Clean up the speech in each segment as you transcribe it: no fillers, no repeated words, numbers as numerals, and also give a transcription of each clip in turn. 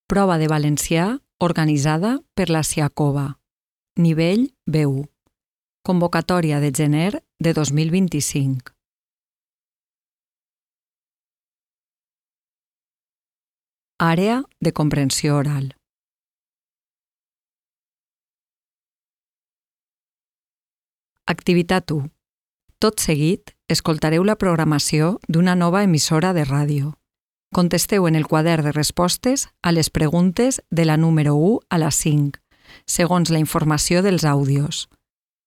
Prova de valencià organitzada per la Siacova. Nivell B1. Convocatòria de gener de 2025. Àrea de comprensió oral. Activitat 1. Tot seguit, escoltareu la programació d'una nova emissora de ràdio. Contesteu en el quadern de respostes a les preguntes de la número 1 a la 5, segons la informació dels àudios.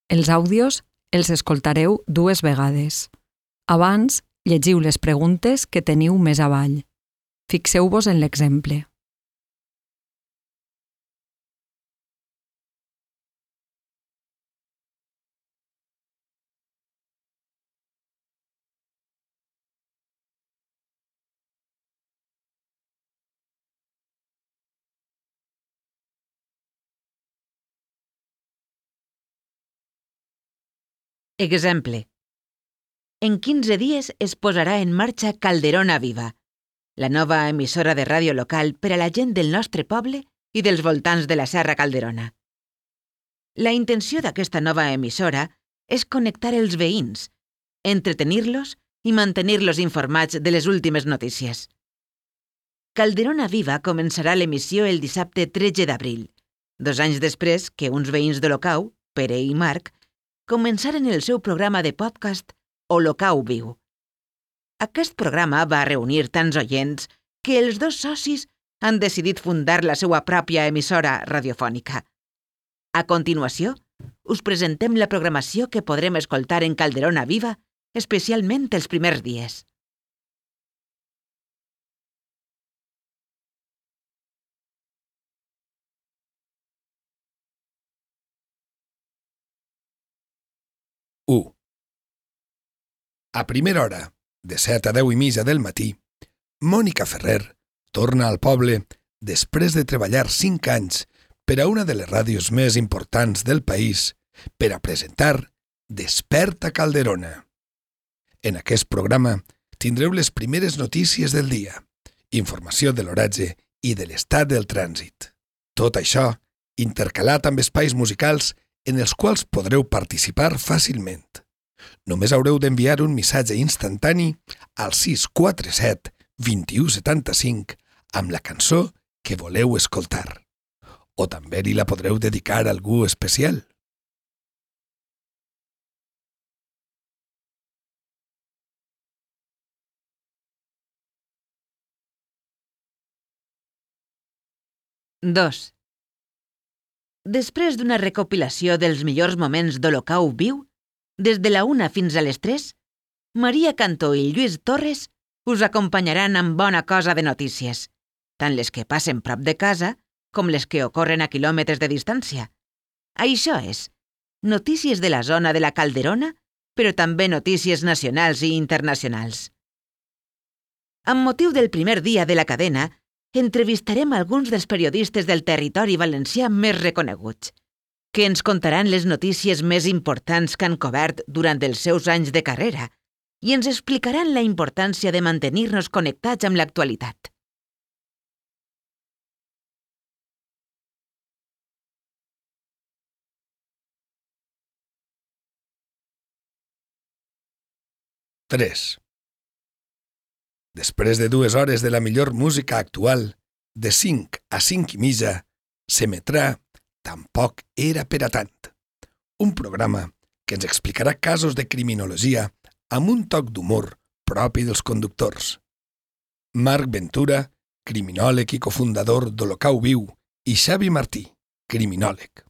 Els àudios els escoltareu 2 vegades. Abans, llegiu les preguntes que teniu més avall. Fixeu-vos en l'exemple. Exemple. En 15 dies es posarà en marxa Calderona Viva, la nova emissora de ràdio local per a la gent del nostre poble i dels voltants de la Serra Calderona. La intenció d'aquesta nova emissora és connectar els veïns, entretenir-los i mantenir-los informats de les últimes notícies. Calderona Viva començarà l'emissió el dissabte 13 d'abril, 2 anys després que uns veïns d'Olocau, Pere i Marc, començaren el seu programa de podcast Olocau Viu. Aquest programa va reunir tants oients que els 2 socis han decidit fundar la seva pròpia emissora radiofònica. A continuació, us presentem la programació que podrem escoltar en Calderona Viva, especialment els primers dies. A primera hora, de 7 a 10 i mitja del matí, Mònica Ferrer torna al poble després de treballar 5 anys per a una de les ràdios més importants del país per a presentar Desperta Calderona. En aquest programa tindreu les primeres notícies del dia, informació de l'oratge i de l'estat del trànsit. Tot això intercalat amb espais musicals en els quals podreu participar fàcilment. Només haureu d'enviar un missatge instantani al 647 2175 amb la cançó que voleu escoltar. O també li la podreu dedicar a algú especial. Dos. Després d'una recopilació dels millors moments d'Olocau Viu, des de la 1 fins a les 3, Maria Cantó i Lluís Torres us acompanyaran amb bona cosa de notícies, tant les que passen prop de casa com les que ocorren a quilòmetres de distància. Això és, notícies de la zona de la Calderona, però també notícies nacionals i internacionals. Amb motiu del primer dia de la cadena, entrevistarem alguns dels periodistes del territori valencià més reconeguts, que ens contaran les notícies més importants que han cobert durant els seus anys de carrera i ens explicaran la importància de mantenir-nos connectats amb l'actualitat. Tres. Després de 2 hores de la millor música actual, de 5 a 5 i mitja, s'emetrà Tampoc era per a tant. Un programa que ens explicarà casos de criminologia amb un toc d'humor propi dels conductors. Marc Ventura, criminòleg i cofundador d'Olocau Viu, i Xavi Martí, criminòleg.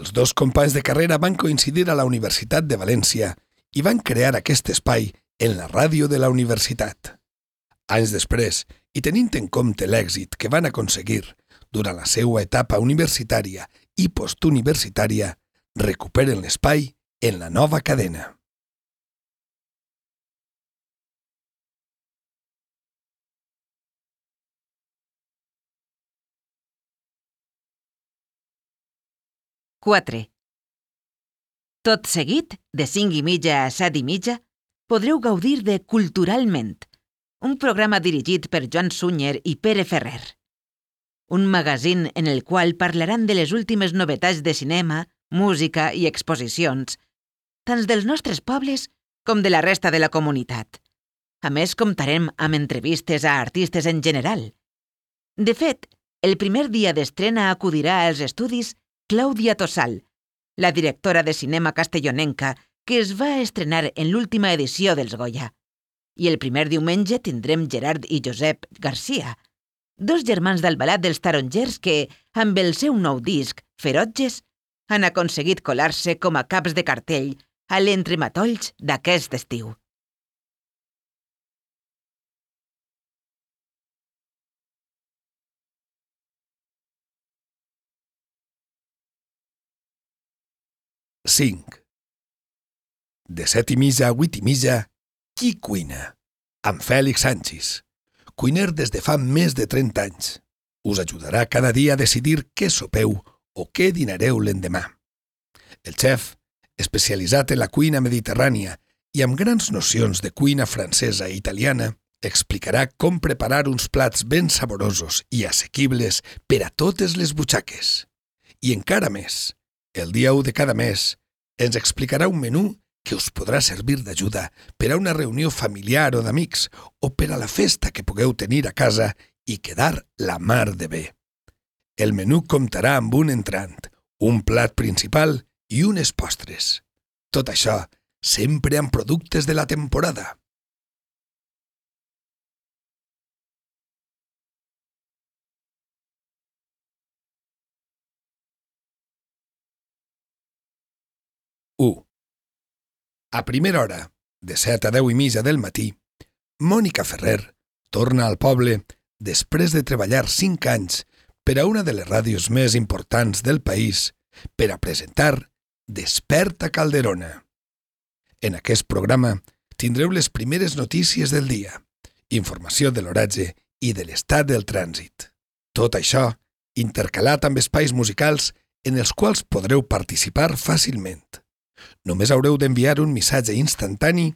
Els 2 companys de carrera van coincidir a la Universitat de València i van crear aquest espai en la ràdio de la universitat. Anys després, i tenint en compte l'èxit que van aconseguir durant la seva etapa universitària i postuniversitària, recuperen l'espai en la nova cadena. Quatre. Tot seguit, de 5 i mitja a 7 i mitja, podreu gaudir de Culturalment, un programa dirigit per Joan Sunyer i Pere Ferrer. un magazín en el qual parlaran de les últimes novetats de cinema, música i exposicions, tant dels nostres pobles com de la resta de la comunitat. A més, comptarem amb entrevistes a artistes en general. De fet, el primer dia d'estrena acudirà als estudis Clàudia Tossal, la directora de cinema castellonenca que es va estrenar en l'última edició dels Goya. I el primer diumenge tindrem Gerard i Josep Garcia, dos germans d'Albalat dels Tarongers que, amb el seu nou disc, Ferotges, han aconseguit colar-se com a caps de cartell a l'entrematolls d'aquest estiu. Cinc. De 7:30 a 8:30, Qui cuina? Amb Fèlix Sanchis, cuiner des de fa més de 30 anys. Us ajudarà cada dia a decidir què sopeu o què dinareu l'endemà. El xef, especialitzat en la cuina mediterrània i amb grans nocions de cuina francesa i italiana, explicarà com preparar uns plats ben saborosos i assequibles per a totes les butxaques. I encara més, el dia 1 de cada mes, ens explicarà un menú que us podrà servir d'ajuda per a una reunió familiar o d'amics o per a la festa que pugueu tenir a casa i quedar la mar de bé. El menú comptarà amb un entrant, un plat principal i unes postres. Tot això sempre amb productes de la temporada. A primera hora, de 7 a 10:30 del matí, Mònica Ferrer torna al poble després de treballar 5 anys per a una de les ràdios més importants del país per a presentar Desperta Calderona. En aquest programa tindreu les primeres notícies del dia, informació de l'oratge i de l'estat del trànsit. Tot això intercalat amb espais musicals en els quals podreu participar fàcilment. Només haureu d'enviar un missatge instantani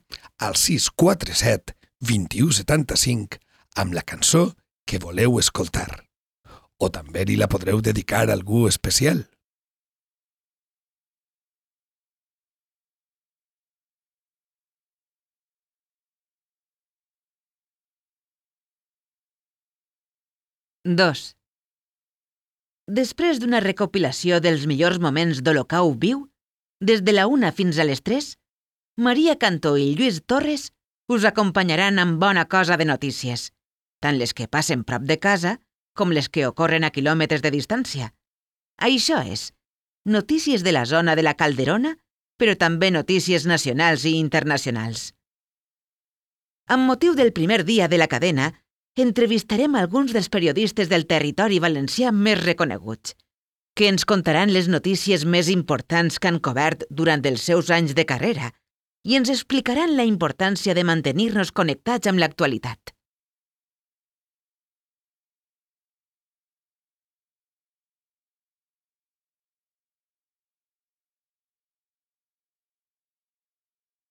al 647 21 75 amb la cançó que voleu escoltar. O també li la podreu dedicar a algú especial. Dos. Després d'una recopilació dels millors moments d'Olocau Viu, des de la 1 fins a les 3, Maria Cantó i Lluís Torres us acompanyaran amb bona cosa de notícies, tant les que passen prop de casa com les que ocorren a quilòmetres de distància. Això és, notícies de la zona de la Calderona, però també notícies nacionals i internacionals. Amb motiu del primer dia de la cadena, entrevistarem alguns dels periodistes del territori valencià més reconeguts, que ens contaran les notícies més importants que han cobert durant els seus anys de carrera i ens explicaran la importància de mantenir-nos connectats amb l'actualitat.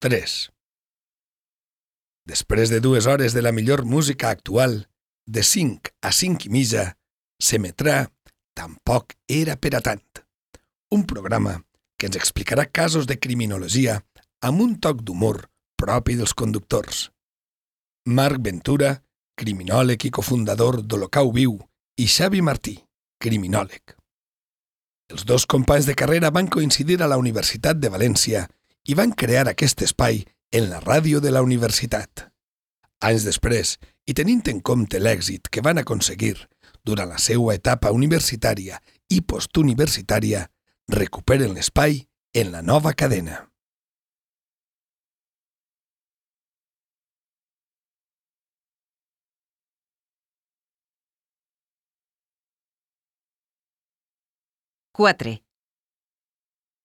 Tres. Després de 2 hores de la millor música actual, de 5 a 5:30, s'emetrà Tampoc era per a tant. Un programa que ens explicarà casos de criminologia amb un toc d'humor propi dels conductors. Marc Ventura, criminòleg i cofundador d'Olocau Viu, i Xavi Martí, criminòleg. Els dos companys de carrera van coincidir a la Universitat de València i van crear aquest espai en la ràdio de la universitat. Anys després, i tenint en compte l'èxit que van aconseguir durant la seva etapa universitària i postuniversitària, recuperen l'espai en la nova cadena. Quatre.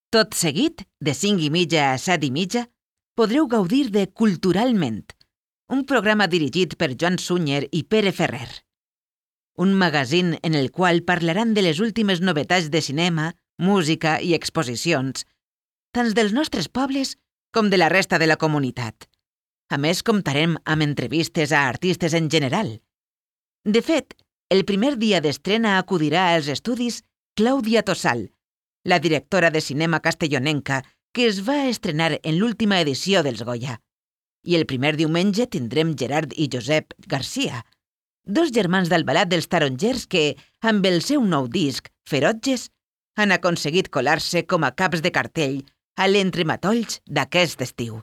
Tot seguit, de 5:30 a 7:30, podreu gaudir de Culturalment, un programa dirigit per Joan Sunyer i Pere Ferrer. Un magazín en el qual parlaran de les últimes novetats de cinema, música i exposicions, tant dels nostres pobles com de la resta de la comunitat. A més, comptarem amb entrevistes a artistes en general. De fet, El primer dia d'estrena acudirà als estudis Clàudia Tossal, la directora de cinema castellonenca que es va estrenar en l'última edició dels Goya. I el primer diumenge tindrem Gerard i Josep Garcia, dos germans d'Albalat dels Tarongers que, amb el seu nou disc, Ferotges, han aconseguit colar-se com a caps de cartell a l'entrematolls d'aquest estiu.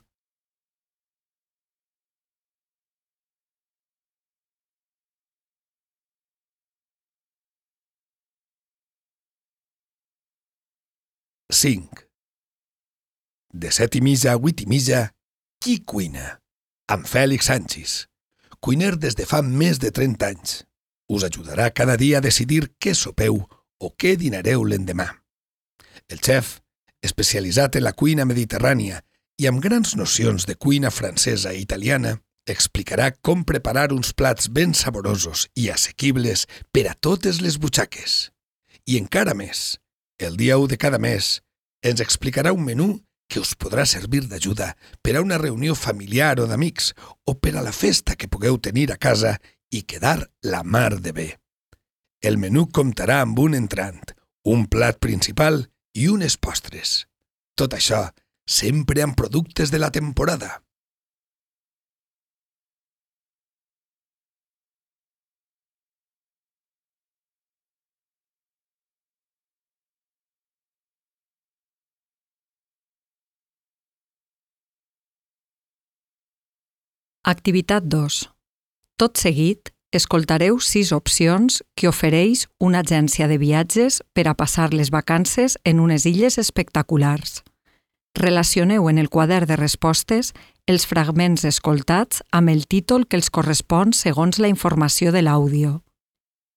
Cinc. De 7:30 a 8:30, Qui cuina? Amb Fèlix Sanchis, cuiner des de fa més de 30 anys. Us ajudarà cada dia a decidir què sopeu o què dinareu l'endemà. El xef, especialitzat en la cuina mediterrània i amb grans nocions de cuina francesa i italiana, explicarà com preparar uns plats ben saborosos i assequibles per a totes les butxaques. I encara més, el dia 1 de cada mes, ens explicarà un menú que us podrà servir d'ajuda per a una reunió familiar o d'amics o per a la festa que pugueu tenir a casa i quedar la mar de bé. El menú comptarà amb un entrant, un plat principal i unes postres. Tot això sempre amb productes de la temporada. Activitat 2. Tot seguit, escoltareu 6 opcions que ofereix una agència de viatges per a passar les vacances en unes illes espectaculars. Relacioneu en el quadern de respostes els fragments escoltats amb el títol que els correspon segons la informació de l'àudio.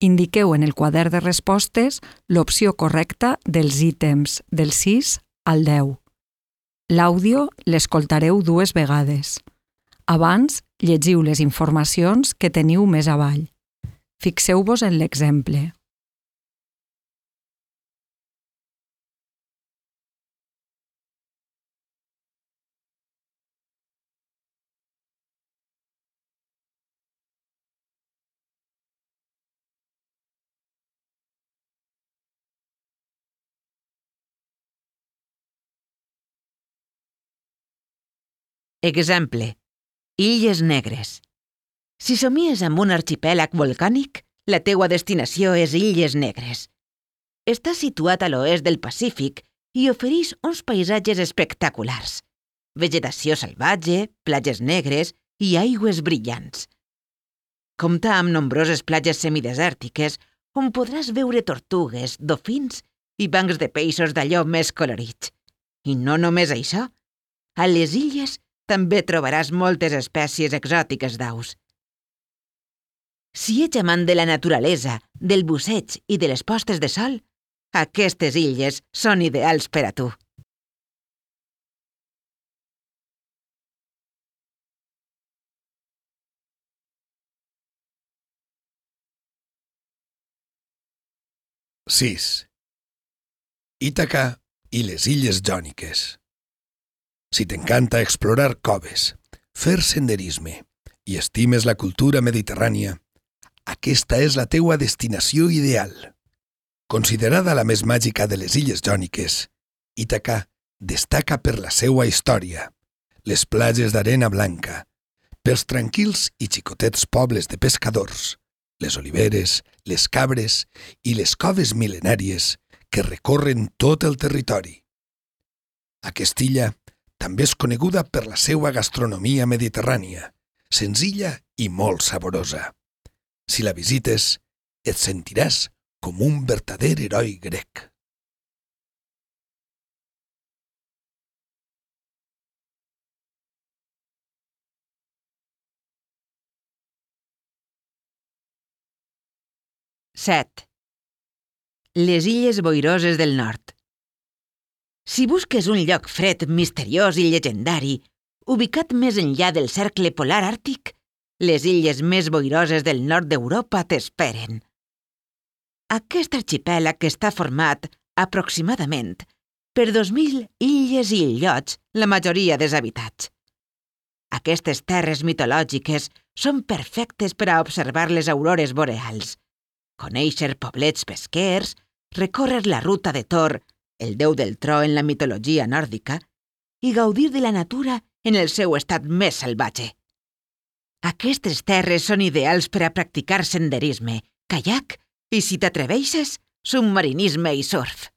Indiqueu en el quadern de respostes l'opció correcta dels ítems del 6 al 10. L'àudio l'escoltareu 2 vegades. Abans, llegiu les informacions que teniu més avall. Fixeu-vos en l'exemple. Exemple. Illes Negres. Si somies amb un arxipèlag volcànic, la teua destinació és Illes Negres. Està situat a l'oest del Pacífic i ofereix uns paisatges espectaculars. Vegetació salvatge, platges negres i aigües brillants. Compta amb nombroses platges semidesèrtiques on podràs veure tortugues, dofins i bancs de peixos d'allò més colorits. I no només això. A les illes també trobaràs moltes espècies exòtiques d'aus. Si ets amant de la naturalesa, del busseig i de les postes de sol, aquestes illes són ideals per a tu. Sis. Ítaca i les Illes Jòniques. Si t'encanta explorar coves, fer senderisme i estimes la cultura mediterrània, aquesta és la teua destinació ideal. Considerada la més màgica de les Illes Jòniques, Ítaca destaca per la seua història, les platges d'arena blanca, pels tranquils i xicotets pobles de pescadors, les oliveres, les cabres i les coves mil·lenàries que recorren tot el territori. Aquesta illa també és coneguda per la seua gastronomia mediterrània, senzilla i molt saborosa. Si la visites, et sentiràs com un vertader heroi grec. Set. Les Illes Boiroses del Nord. Si busques un lloc fred, misteriós i llegendari, ubicat més enllà del cercle polar àrtic, les illes més boiroses del nord d'Europa t'esperen. Aquest arxipèlag està format, aproximadament, per 2.000 illes i illots, la majoria deshabitats. Aquestes terres mitològiques són perfectes per a observar les aurores boreals. conèixer poblets pesquers, recórrer la ruta de Thor, el déu del tro en la mitologia nòrdica, i gaudir de la natura en el seu estat més salvatge. Aquestes terres són ideals per a practicar senderisme, caiac i, si t'atreveixes, submarinisme i surf.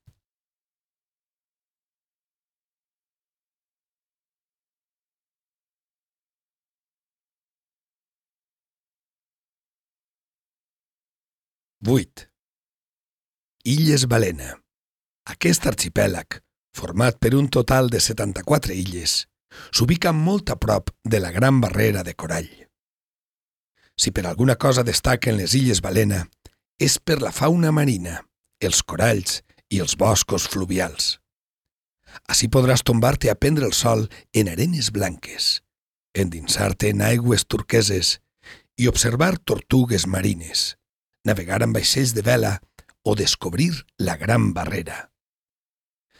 Vuit. Illes Balena. Aquest arxipèlag, format per un total de 74 illes, s'ubica molt a prop de la Gran Barrera de Corall. Si per alguna cosa destaquen les Illes Balena, és per la fauna marina, els coralls i els boscos fluvials. Així podràs tombar-te a prendre el sol en arenes blanques, endinsar-te en aigües turqueses i observar tortugues marines, navegar amb vaixells de vela o descobrir la Gran Barrera.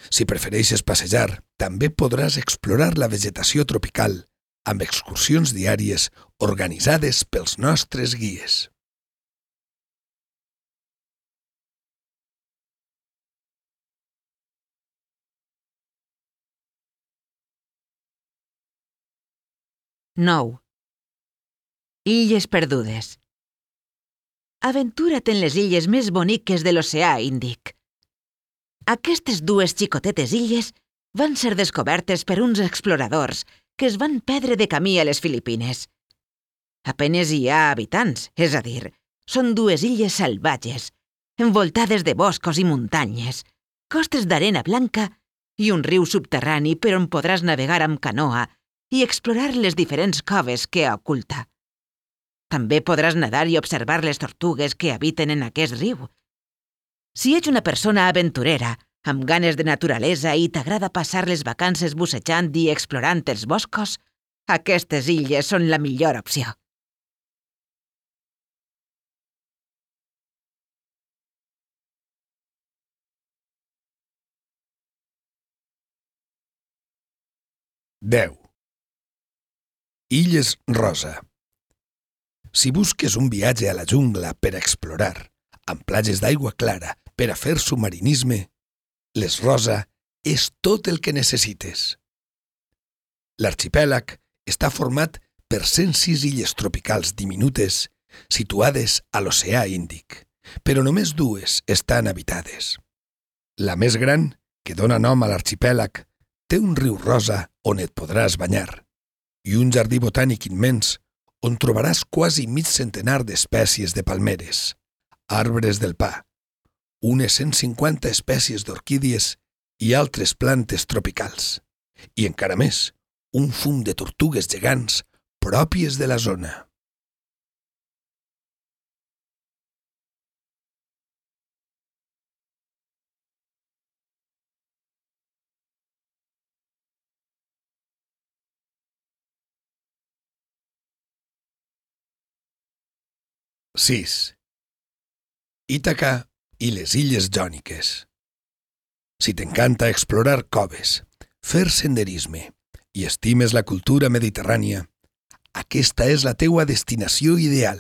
Si prefereixes passejar, també podràs explorar la vegetació tropical amb excursions diàries organitzades pels nostres guies. Nou. Illes perdudes. Aventura't en les illes més boniques de l'oceà Índic. Aquestes dues xicotetes illes van ser descobertes per uns exploradors que es van perdre de camí a les Filipines. Apenes hi ha habitants, és a dir, són dues illes salvatges, envoltades de boscos i muntanyes, costes d'arena blanca i un riu subterrani per on podràs navegar amb canoa i explorar les diferents coves que oculta. També podràs nedar i observar les tortugues que habiten en aquest riu. Si ets una persona aventurera, amb ganes de naturalesa i t'agrada passar les vacances bussejant i explorant els boscos, aquestes illes són la millor opció. Deu. Illes Rosa. Si busques un viatge a la jungla per a explorar, amb platges d'aigua clara per a fer submarinisme, les Rosa és tot el que necessites. L'arxipèlag està format per 106 illes tropicals diminutes situades a l'oceà Índic, però només dues estan habitades. La més gran, que dona nom a l'arxipèlag, té un riu rosa on et podràs banyar i un jardí botànic immens on trobaràs quasi mig centenar d'espècies de palmeres, arbres del pa, unes 150 espècies d'orquídies i altres plantes tropicals, i encara més, un fum de tortugues gegants pròpies de la zona. Sis. Ítaca i les Illes Jòniques. Si t'encanta explorar coves, fer senderisme i estimes la cultura mediterrània, aquesta és la teua destinació ideal.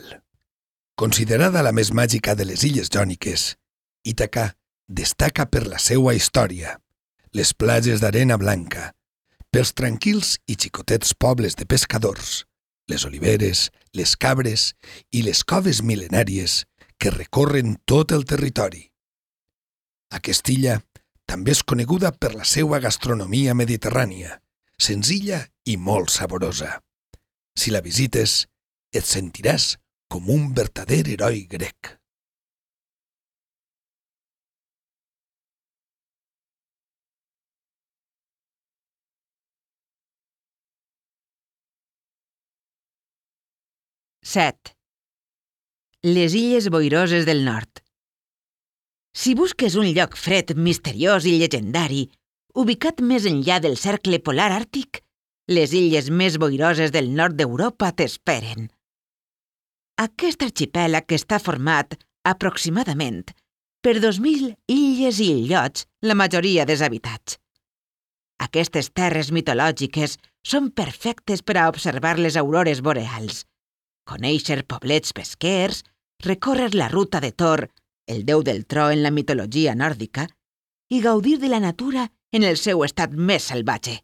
Considerada la més màgica de les Illes Jòniques, Ítaca destaca per la seua història, les platges d'arena blanca, pels tranquils i xicotets pobles de pescadors, les oliveres, les cabres i les coves mil·lenàries que recorren tot el territori. Aquesta illa també és coneguda per la seua gastronomia mediterrània, senzilla i molt saborosa. Si la visites, et sentiràs com un vertader heroi grec. Set. Les Illes Boiroses del Nord. Si busques un lloc fred, misteriós i llegendari, ubicat més enllà del cercle polar àrtic, les illes més boiroses del nord d'Europa t'esperen. Aquest arxipèlag està format, aproximadament, per 2.000 illes i illots, la majoria deshabitats. Aquestes terres mitològiques són perfectes per a observar les aurores boreals, conèixer poblets pesquers, recórrer la ruta de Thor, el déu del tro en la mitologia nòrdica, i gaudir de la natura en el seu estat més salvatge.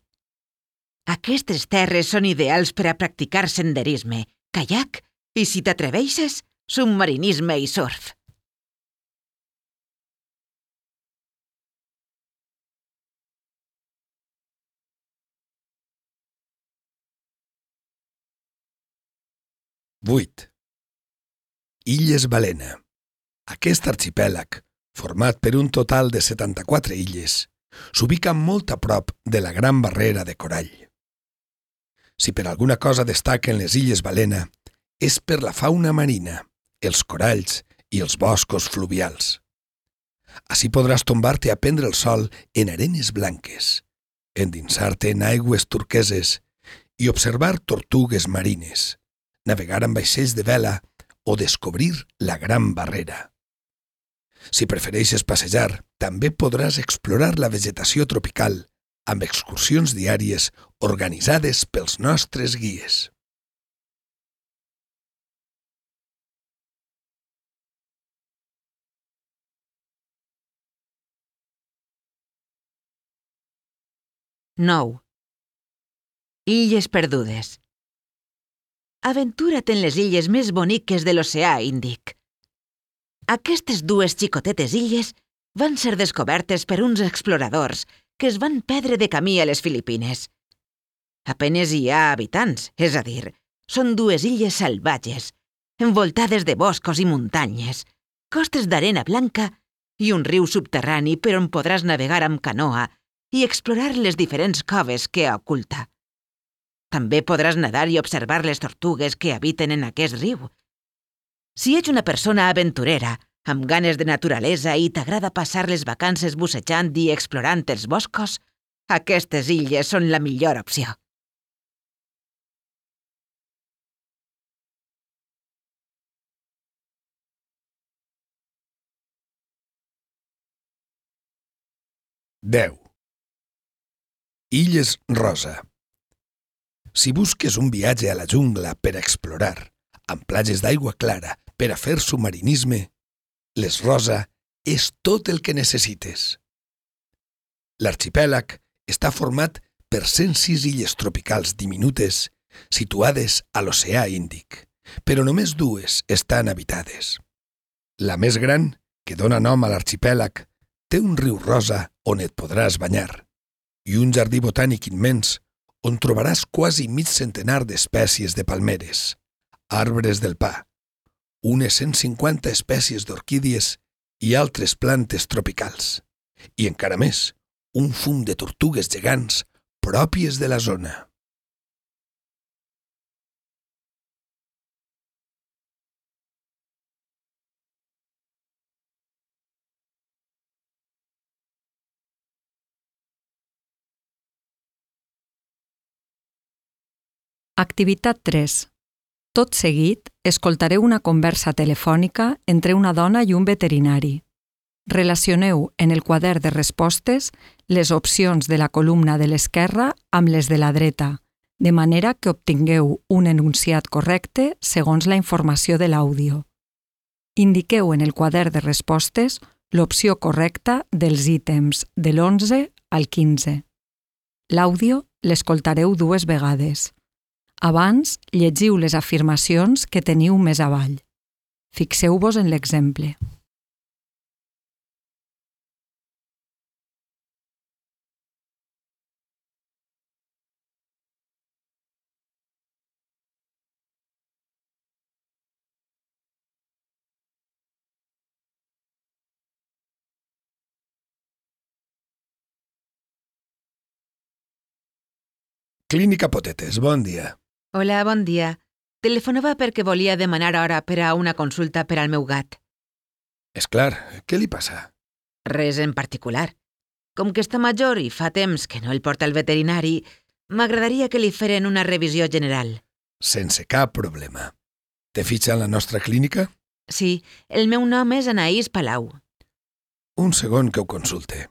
Aquestes terres són ideals per a practicar senderisme, caiac i, si t'atreveixes, submarinisme i surf. Vuit. Illes Balena. Aquest arxipèlag, format per un total de 74 illes, s'ubica molt a prop de la Gran Barrera de Corall. Si per alguna cosa destaquen les Illes Balena, és per la fauna marina, els coralls i els boscos fluvials. Així podràs tombar-te a prendre el sol en arenes blanques, endinsar-te en aigües turqueses i observar tortugues marines, navegar amb vaixells de vela o descobrir la Gran Barrera. Si prefereixes passejar, també podràs explorar la vegetació tropical amb excursions diàries organitzades pels nostres guies. Nou. Illes perdudes. Aventura't en les illes més boniques de l'oceà Índic. Aquestes dues xicotetes illes van ser descobertes per uns exploradors que es van perdre de camí a les Filipines. Apenes hi ha habitants, és a dir, són dues illes salvatges, envoltades de boscos i muntanyes, costes d'arena blanca i un riu subterrani per on podràs navegar amb canoa i explorar les diferents coves que oculta. També podràs nedar i observar les tortugues que habiten en aquest riu. Si ets una persona aventurera, amb ganes de naturalesa i t'agrada passar les vacances bussejant i explorant els boscos, aquestes illes són la millor opció. Deu. Illes Rosa. Si busques un viatge a la jungla per a explorar, amb platges d'aigua clara per a fer submarinisme, les Rosa és tot el que necessites. L'arxipèlag està format per 106 illes tropicals diminutes situades a l'oceà Índic, però només dues estan habitades. La més gran, que dona nom a l'arxipèlag, té un riu rosa on et podràs banyar i un jardí botànic immens on trobaràs quasi mig centenar d'espècies de palmeres, arbres del pa, unes 150 espècies d'orquídies i altres plantes tropicals, i encara més, un fum de tortugues gegants pròpies de la zona. Activitat 3. Tot seguit, escoltareu una conversa telefònica entre una dona i un veterinari. Relacioneu en el quadern de respostes les opcions de la columna de l'esquerra amb les de la dreta, de manera que obtingueu un enunciat correcte segons la informació de l'àudio. Indiqueu en el quadern de respostes l'opció correcta dels ítems de l'11 al 15. L'àudio l'escoltareu 2 vegades. Abans, llegiu les afirmacions que teniu més avall. Fixeu-vos en l'exemple. Clínica Potetes, bon dia. Hola, bon dia. Telefonava perquè volia demanar hora per a una consulta per al meu gat. És clar, què li passa? Res en particular. Com que està major i fa temps que no el porta al veterinari, m'agradaria que li feren una revisió general. Sense cap problema. Te fitxa en la nostra clínica? Sí, el meu nom és Anaïs Palau. Un segon que ho consulte.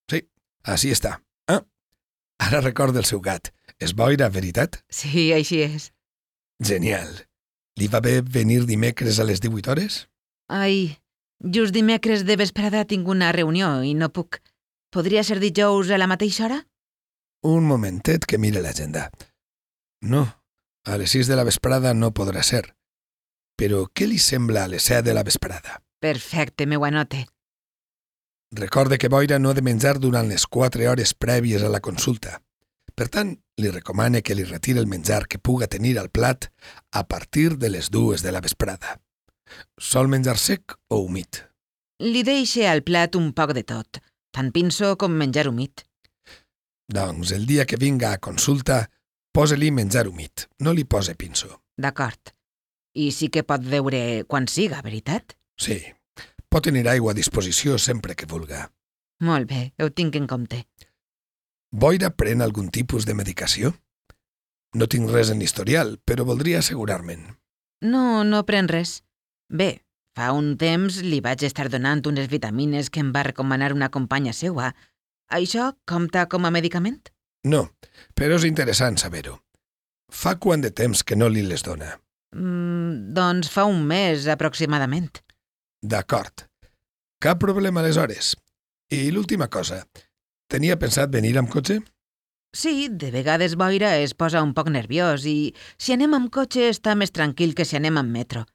Sí, així està. Ara recorda el seu gat. És boira, veritat? Sí, així és. Genial. Li va bé venir dimecres a les 18 hores? Ai, just dimecres de vesprada tinc una reunió i no puc. Podria ser dijous a la mateixa hora? Un momentet que mire l'agenda. No, a les 6 de la vesprada no podrà ser. Però què li sembla a les 7 de la vesprada? Perfecte, m'ho anote. Recorde que boira no ha de menjar durant les 4 hores prèvies a la consulta. Per tant, li recomane que li retiri el menjar que puga tenir al plat a partir de les 2 de la vesprada. Sol menjar sec o humit? Li deixe al plat un poc de tot, tant pinso com menjar humit. Doncs el dia que vinga a consulta, posa-li menjar humit, no li pose pinso. D'acord. I sí que pot veure quan siga, veritat? Sí, pot tenir aigua a disposició sempre que vulga. Molt bé, ho tinc en compte. Boira pren algun tipus de medicació? No tinc res en l'historial, però voldria assegurar-me'n. No pren res. Bé, fa un temps li vaig estar donant unes vitamines que em va recomanar una companya seua. Això compta com a medicament? No, però és interessant saber-ho. Fa quant de temps que no li les dona? Doncs fa un mes, aproximadament. D'acord. Cap problema aleshores. I l'última cosa, tenia pensat venir amb cotxe? Sí, de vegades boira es posa un poc nerviós i si anem amb cotxe està més tranquil que si anem amb metro.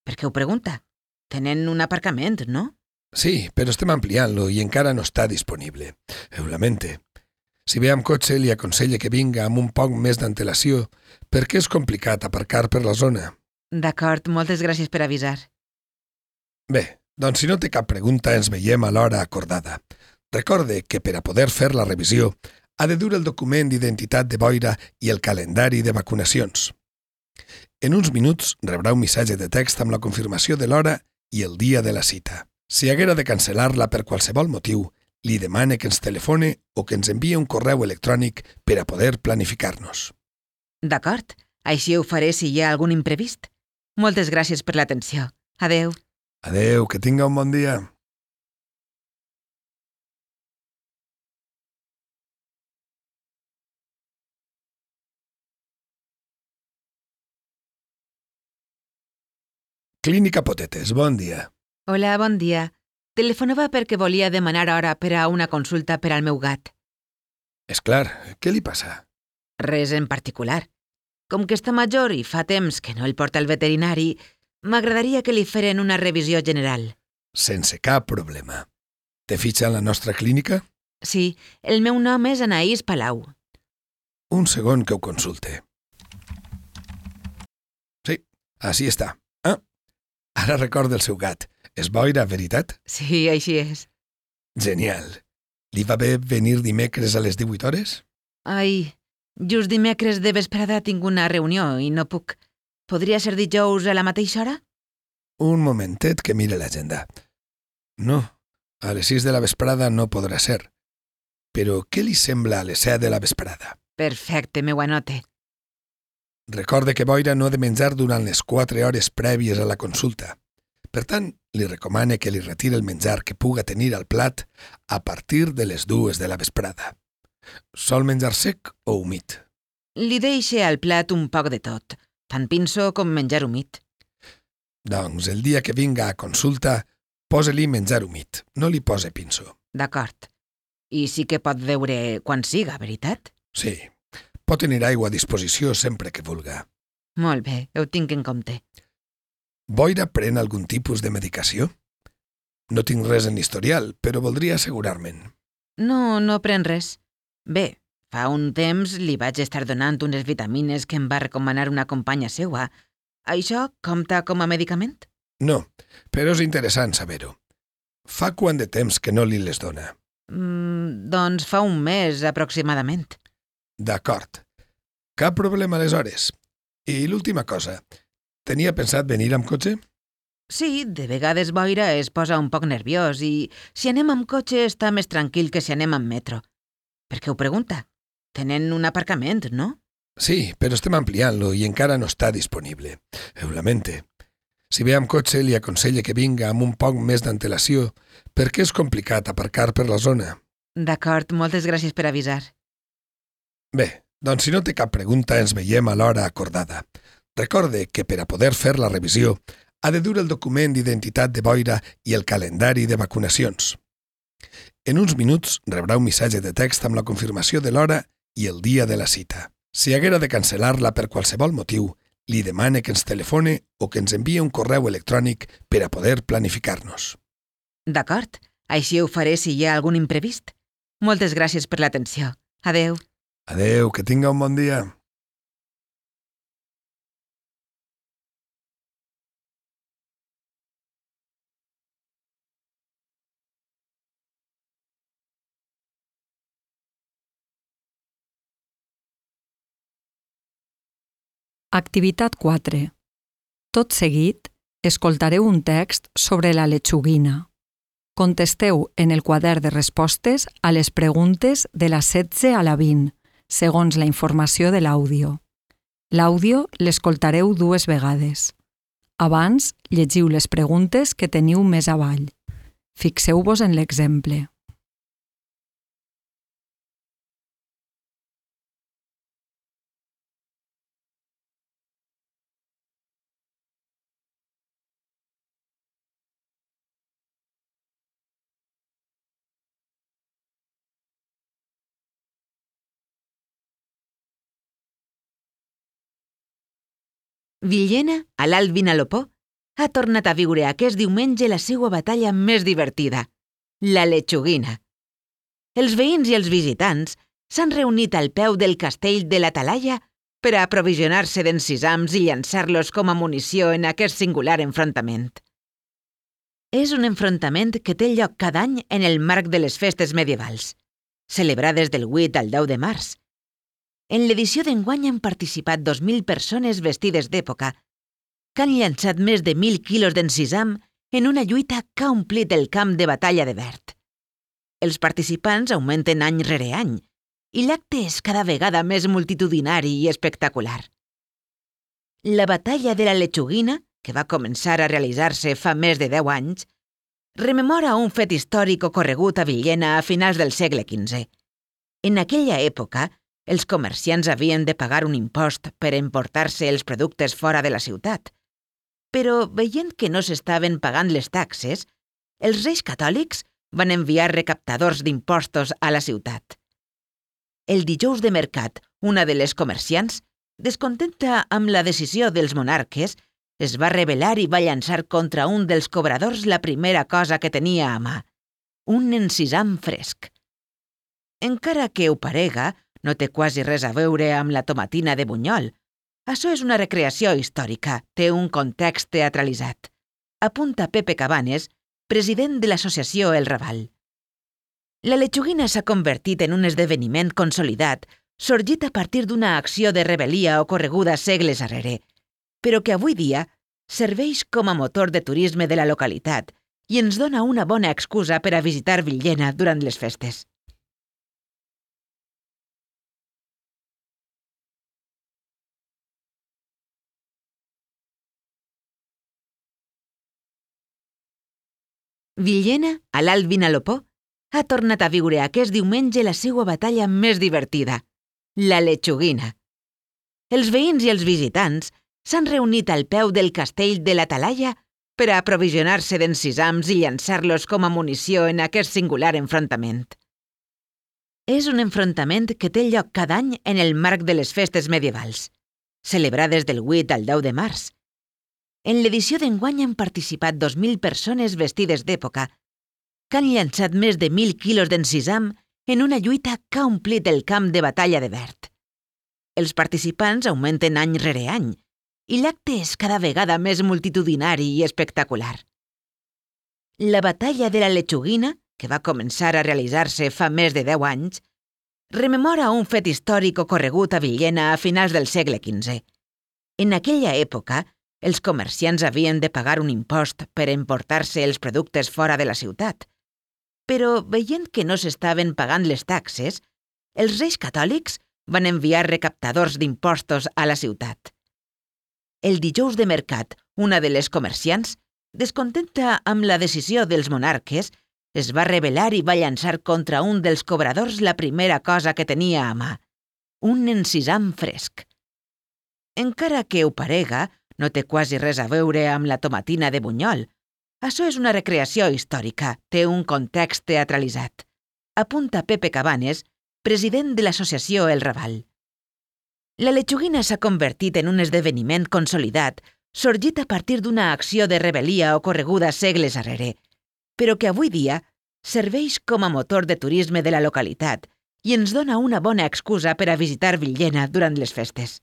Per què ho pregunta? Tenen un aparcament, no? Sí, però estem ampliant-lo i encara no està disponible. Ho lamente. Si ve amb cotxe, li aconselle que vinga amb un poc més d'antelació perquè és complicat aparcar per la zona. D'acord, moltes gràcies per avisar. Bé, doncs si no té cap pregunta ens veiem a l'hora acordada. Recorde que per a poder fer la revisió ha de dur el document d'identitat de boira i el calendari de vacunacions. En uns minuts rebrà un missatge de text amb la confirmació de l'hora i el dia de la cita. Si haguera de cancel·lar-la per qualsevol motiu, li demane que ens telefone o que ens envie un correu electrònic per a poder planificar-nos. D'acord, així ho faré si hi ha algun imprevist. Moltes gràcies per l'atenció. Adeu. Adeu, que tinga un bon dia. Clínica Potetes, bon dia. Hola, bon dia. Telefonava perquè volia demanar hora per a una consulta per al meu gat. És clar, què li passa? Res en particular. Com que està major i fa temps que no el porta al veterinari, m'agradaria que li feren una revisió general. Sense cap problema. Té fitxa en la nostra clínica? Sí, el meu nom és Anaïs Palau. Un segon que ho consulte. Sí, així està. Ara recorda el seu gat. És boira, veritat? Sí, així és. Genial. Li va bé venir dimecres a les 18 hores? Ai, just dimecres de vesprada tinc una reunió i no puc. Podria ser dijous a la mateixa hora? Un momentet que mire l'agenda. No, a les 6 de la vesprada no podrà ser. Però què li sembla a les 7 de la vesprada? Perfecte, m'ho anote. Recorde que boira no ha de menjar durant les 4 hores prèvies a la consulta. Per tant, li recomane que li retiri el menjar que puga tenir al plat a partir de les 2 de la vesprada. Sol menjar sec o humit? Li deixe al plat un poc de tot, tant pinso com menjar humit. Doncs el dia que vinga a consulta, posa-li menjar humit, no li pose pinso. D'acord. I sí que pot veure quan siga, veritat? Sí, pot tenir aigua a disposició sempre que vulga. Molt bé, ho tinc en compte. Boira pren algun tipus de medicació? No tinc res en l'historial, però voldria assegurar-me'n. No pren res. Bé, fa un temps li vaig estar donant unes vitamines que em va recomanar una companya seua. Això compta com a medicament? No, però és interessant saber-ho. Fa quant de temps que no li les dona? Doncs fa un mes, aproximadament. D'acord. Cap problema aleshores. I l'última cosa, tenia pensat venir amb cotxe? Sí, de vegades boira es posa un poc nerviós i si anem amb cotxe està més tranquil que si anem amb metro. Per què ho pregunta? Tenen un aparcament, no? Sí, però estem ampliant-lo i encara no està disponible. Ho lamente. Si ve amb cotxe, li aconselle que vinga amb un poc més d'antelació perquè és complicat aparcar per la zona. D'acord, moltes gràcies per avisar. Bé, doncs si no té cap pregunta ens veiem a l'hora acordada. Recorde que per a poder fer la revisió ha de dur el document d'identitat de boira i el calendari de vacunacions. En uns minuts rebrà un missatge de text amb la confirmació de l'hora i el dia de la cita. Si haguera de cancel·lar-la per qualsevol motiu, li demane que ens telefone o que ens envie un correu electrònic per a poder planificar-nos. D'acord, així ho faré si hi ha algun imprevist. Moltes gràcies per l'atenció. Adeu. Adeu, que tinga un bon dia. Activitat 4. Tot seguit, escoltareu un text sobre la lechuguina. Contesteu en el quadern de respostes a les preguntes de la 16 a la 20, segons la informació de l'àudio. L'àudio l'escoltareu 2 vegades. Abans, llegiu les preguntes que teniu més avall. Fixeu-vos en l'exemple. Villena, a l'Alt Vinalopó, ha tornat a viure aquest diumenge la seva batalla més divertida, la lechuguina. Els veïns i els visitants s'han reunit al peu del castell de la Talaia per a aprovisionar-se d'encisams i llançar-los com a munició en aquest singular enfrontament. És un enfrontament que té lloc cada any en el marc de les festes medievals, celebrades del 8 al 10 de març. En l'edició d'enguany han participat 2.000 persones vestides d'època que han llançat més de 1.000 quilos d'encisam en una lluita que ha omplit el camp de batalla de Verd. Els participants augmenten any rere any i l'acte és cada vegada més multitudinari i espectacular. La batalla de la lechuguina, que va començar a realitzar-se fa més de 10 anys, rememora un fet històric ocorregut a Villena a finals del segle XV. En aquella època, els comerciants havien de pagar un impost per emportar-se els productes fora de la ciutat. Però, veient que no s'estaven pagant les taxes, els reis catòlics van enviar recaptadors d'impostos a la ciutat. El dijous de mercat, una de les comerciants, descontenta amb la decisió dels monarques, es va rebel·lar i va llançar contra un dels cobradors la primera cosa que tenia a mà, un encisam fresc. Encara que ho parega, no té quasi res a veure amb la tomatina de Bunyol. Això és una recreació històrica, té un context teatralitzat. Apunta Pepe Cabanes, president de l'associació El Raval. La lechuguina s'ha convertit en un esdeveniment consolidat, sorgit a partir d'una acció de rebel·lia ocorreguda segles arrere, però que avui dia serveix com a motor de turisme de la localitat i ens dona una bona excusa per a visitar Villena durant les festes. Villena, a l'Alt Vinalopó, ha tornat a viure aquest diumenge la seva batalla més divertida, la lechuguina. Els veïns i els visitants s'han reunit al peu del castell de la Talaia per a aprovisionar-se d'encisams i llançar-los com a munició en aquest singular enfrontament. És un enfrontament que té lloc cada any en el marc de les festes medievals, celebrades del 8 al 10 de març. En l'edició d'enguany han participat 2.000 persones vestides d'època que han llançat més de 1.000 quilos d'encisam en una lluita que ha omplit el camp de batalla de Verd. Els participants augmenten any rere any i l'acte és cada vegada més multitudinari i espectacular. La batalla de la lechuguina, que va començar a realitzar-se fa més de 10 anys, rememora un fet històric ocorregut a Villena a finals del segle XV. En aquella època, els comerciants havien de pagar un impost per emportar-se els productes fora de la ciutat. Però, veient que no s'estaven pagant les taxes, els reis catòlics van enviar recaptadors d'impostos a la ciutat. El dijous de mercat, una de les comerciants, descontenta amb la decisió dels monarques, es va rebel·lar i va llançar contra un dels cobradors la primera cosa que tenia a mà, un encisam fresc. Encara que ho parega, no té quasi res a veure amb la tomatina de Bunyol. Això és una recreació històrica, té un context teatralitzat. Apunta Pepe Cabanes, president de l'associació El Raval. La lechuguina s'ha convertit en un esdeveniment consolidat, sorgit a partir d'una acció de rebel·lia ocorreguda segles arrere, però que avui dia serveix com a motor de turisme de la localitat i ens dona una bona excusa per a visitar Villena durant les festes.